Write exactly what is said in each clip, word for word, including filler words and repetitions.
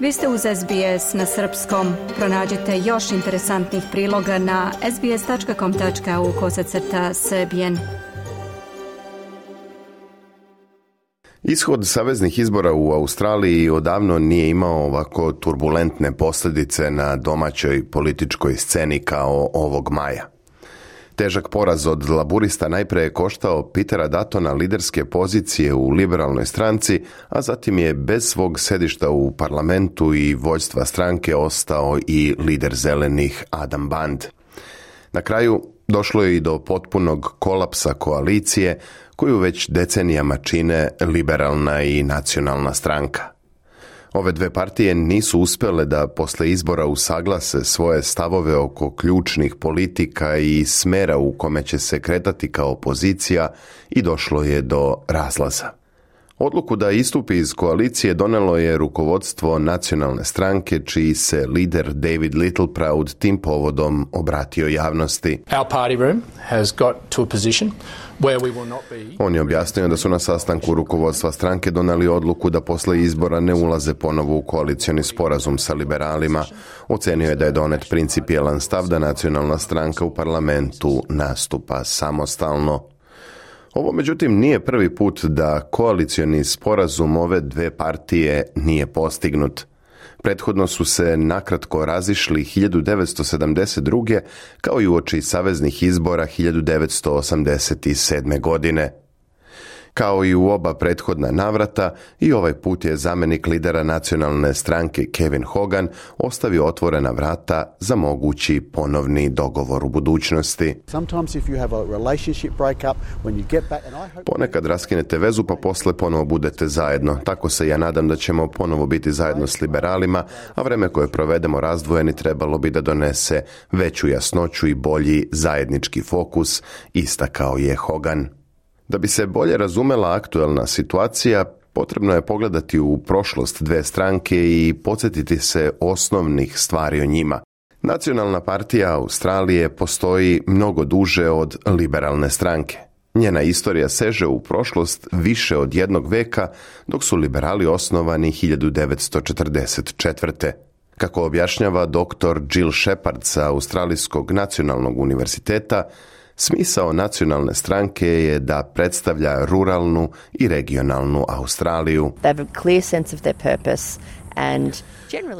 Vi ste uz S B S na srpskom. Pronađite još interesantnih priloga na sbs.com.au kosacrta srbijen. Ishod saveznih izbora u Australiji odavno nije imao ovako turbulentne posljedice na domaćoj političkoj sceni kao ovog maja. Težak poraz od laburista najprije je koštao Petera Duttona liderske pozicije u liberalnoj stranci, a zatim je bez svog sedišta u parlamentu i vođstva stranke ostao i lider zelenih Adam Band. Na kraju došlo je i do potpunog kolapsa koalicije koju već decenijama čine liberalna i nacionalna stranka. Ove dve partije nisu uspjele da posle izbora usaglase svoje stavove oko ključnih politika i smjera u kome će se kretati kao opozicija i došlo je do razlaza. Odluku da istupi iz koalicije donelo je rukovodstvo nacionalne stranke, čiji se lider David Littleproud tim povodom obratio javnosti. Our party room has got to a position where we will not be... On je objasnio da su na sastanku rukovodstva stranke doneli odluku da posle izbora ne ulaze ponovo u koalicioni sporazum sa liberalima. Ocenio je da je donet principijelan stav da nacionalna stranka u parlamentu nastupa samostalno. Ovo, međutim, nije prvi put da koalicioni sporazum ove dve partije nije postignut. Prethodno su se nakratko razišli hiljadu devetsto sedamdeset druge kao i uoči saveznih izbora hiljadu devetsto osamdeset sedme. godine. Kao i u oba prethodna navrata, i ovaj put je zamjenik lidera nacionalne stranke Kevin Hogan ostavio otvorena vrata za mogući ponovni dogovor u budućnosti. Ponekad raskinete vezu pa posle ponovo budete zajedno. Tako se ja nadam da ćemo ponovo biti zajedno s liberalima, a vreme koje provedemo razdvojeni trebalo bi da donese veću jasnoću i bolji zajednički fokus, istakao je Hogan. Da bi se bolje razumela aktuelna situacija, potrebno je pogledati u prošlost dve stranke i podsjetiti se osnovnih stvari o njima. Nacionalna partija Australije postoji mnogo duže od liberalne stranke. Njena istorija seže u prošlost više od jednog veka, dok su liberali osnovani hiljadu devetsto četrdeset četvrte. Kako objašnjava doktor Jill Shepard sa Australijskog nacionalnog univerziteta, smisao nacionalne stranke je da predstavlja ruralnu i regionalnu Australiju.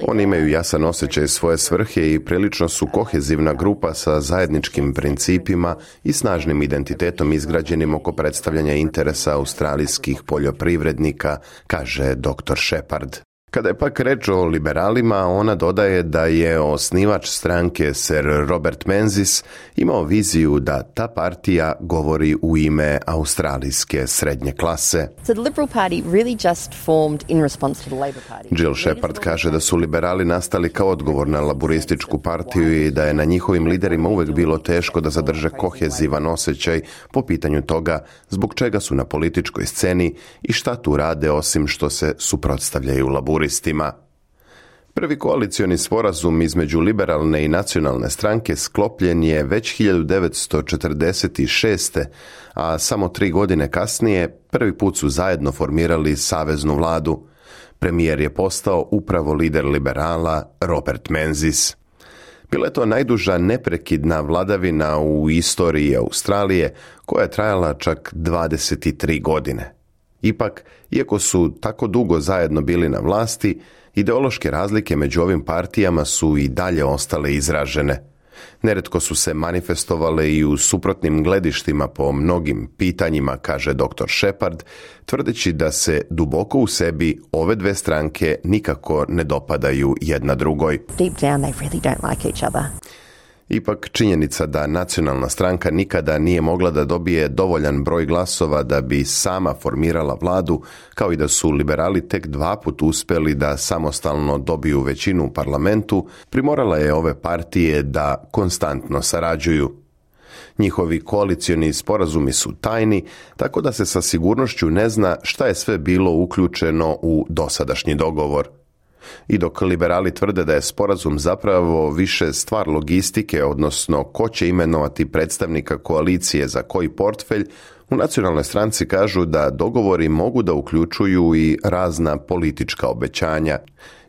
Oni imaju jasan osjećaj svoje svrhe i prilično su kohezivna grupa sa zajedničkim principima i snažnim identitetom izgrađenim oko predstavljanja interesa australijskih poljoprivrednika, kaže doktor Shepard. Kada je pak reč o liberalima, ona dodaje da je osnivač stranke Sir Robert Menzies imao viziju da ta partija govori u ime australijske srednje klase. Jill Shepard kaže da su liberali nastali kao odgovor na laburističku partiju i da je na njihovim liderima uvek bilo teško da zadrže kohezivan osjećaj po pitanju toga zbog čega su na političkoj sceni i šta tu rade osim što se suprotstavljaju laburistima. Prvi koalicioni sporazum između liberalne i nacionalne stranke sklopljen je već hiljadu devetsto četrdeset šeste. a samo tri godine kasnije prvi put su zajedno formirali saveznu vladu. Premijer je postao upravo lider liberala Robert Menzies. Bila je to najduža neprekidna vladavina u istoriji Australije, koja je trajala čak dvadeset tri godine. Ipak, iako su tako dugo zajedno bili na vlasti, ideološke razlike među ovim partijama su i dalje ostale izražene. Neretko su se manifestovale i u suprotnim gledištima po mnogim pitanjima, kaže doktor Shepard, tvrdeći da se duboko u sebi ove dve stranke nikako ne dopadaju jedna drugoj. Deep down they really don't like each other. Ipak činjenica da nacionalna stranka nikada nije mogla da dobije dovoljan broj glasova da bi sama formirala vladu, kao i da su liberali tek dva put uspjeli da samostalno dobiju većinu u parlamentu, primorala je ove partije da konstantno sarađuju. Njihovi koalicioni sporazumi su tajni, tako da se sa sigurnošću ne zna šta je sve bilo uključeno u dosadašnji dogovor. I dok liberali tvrde da je sporazum zapravo više stvar logistike, odnosno ko će imenovati predstavnika koalicije za koji portfelj, U nacionalnoj stranci kažu da dogovori mogu da uključuju i razna politička obećanja.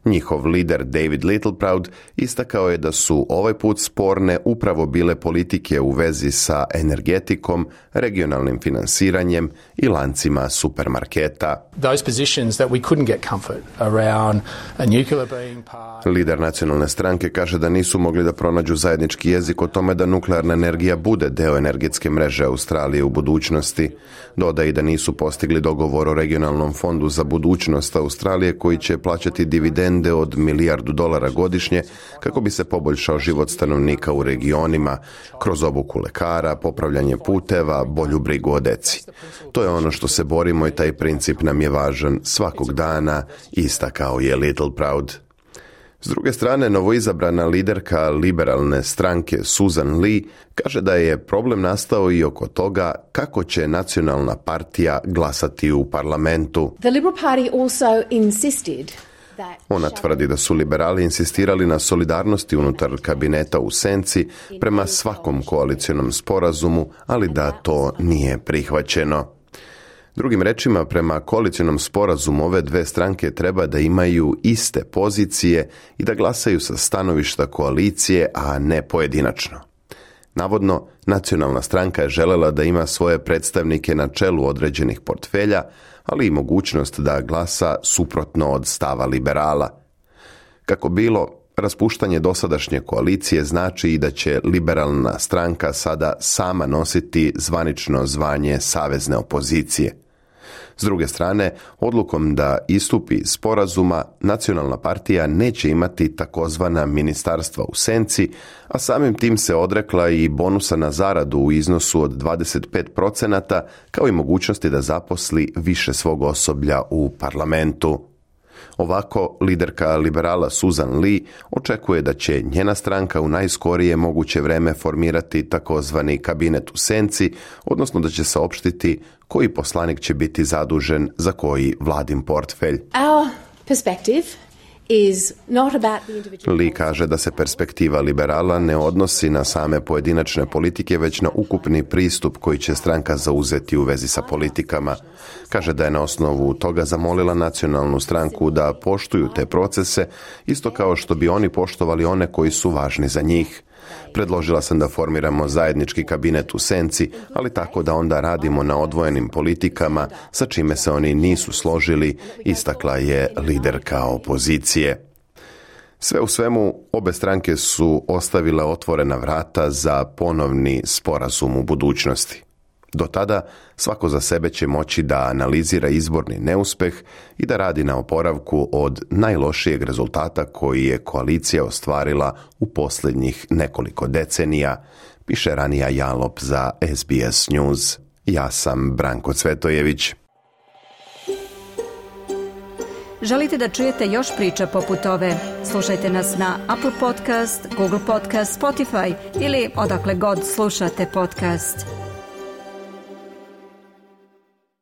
Njihov lider David Littleproud istakao je da su ovaj put sporne upravo bile politike u vezi sa energetikom, regionalnim finansiranjem i lancima supermarketa. Those positions that we couldn't get comfort around a nuclear being part. Lider nacionalne stranke kaže da nisu mogli da pronađu zajednički jezik o tome da nuklearna energija bude deo energetske mreže Australije u budućnosti. Dodaje i da nisu postigli dogovor o regionalnom fondu za budućnost Australije koji će plaćati dividende od milijardu dolara godišnje kako bi se poboljšao život stanovnika u regionima kroz obuku lekara, popravljanje puteva, bolju brigu o deci. To je ono što se borimo i taj princip nam je važan svakog dana, istakao je Littleproud. S druge strane, novoizabrana liderka liberalne stranke Susan Lee kaže da je problem nastao i oko toga kako će nacionalna partija glasati u parlamentu. The Liberal Party also insisted Ona tvrdi da su liberali insistirali na solidarnosti unutar kabineta u senci prema svakom koalicionom sporazumu, ali da to nije prihvaćeno. Drugim rečima, prema koalicionom sporazumu ove dve stranke treba da imaju iste pozicije i da glasaju sa stanovišta koalicije, a ne pojedinačno. Navodno, nacionalna stranka je želela da ima svoje predstavnike na čelu određenih portfelja, ali i mogućnost da glasa suprotno od stava liberala. Kako bilo, raspuštanje dosadašnje koalicije znači i da će liberalna stranka sada sama nositi zvanično zvanje savezne opozicije. S druge strane, odlukom da istupi iz sporazuma, nacionalna partija neće imati takozvana ministarstva u senci, a samim tim se odrekla i bonusa na zaradu u iznosu od dvadeset pet procenata, kao i mogućnosti da zaposli više svog osoblja u parlamentu. Ovako, liderka liberala Susan Lee očekuje da će njena stranka u najskorije moguće vreme formirati takozvani kabinet u senci, odnosno da će saopštiti koji poslanik će biti zadužen za koji vladin portfelj. Our perspective is not about the individual. Lee kaže da se perspektiva liberala ne odnosi na same pojedinačne politike, već na ukupni pristup koji će stranka zauzeti u vezi sa politikama. Kaže da je na osnovu toga zamolila nacionalnu stranku da poštuju te procese, isto kao što bi oni poštovali one koji su važni za njih. Predložila sam da formiramo zajednički kabinet u senci, ali tako da onda radimo na odvojenim politikama, sa čime se oni nisu složili, istakla je liderka opozicije. Sve u svemu, obe stranke su ostavile otvorena vrata za ponovni sporazum u budućnosti. Do tada svako za sebe će moći da analizira izborni neuspeh i da radi na oporavku od najlošijeg rezultata koji je koalicija ostvarila u posljednjih nekoliko decenija, piše Ranija Jalop za S B S News. Ja sam Branko Cvetojević. Želite da čujete još priča poput ove? Slušajte nas na Apple Podcast, Google Podcast, Spotify ili odakle god slušate podcast.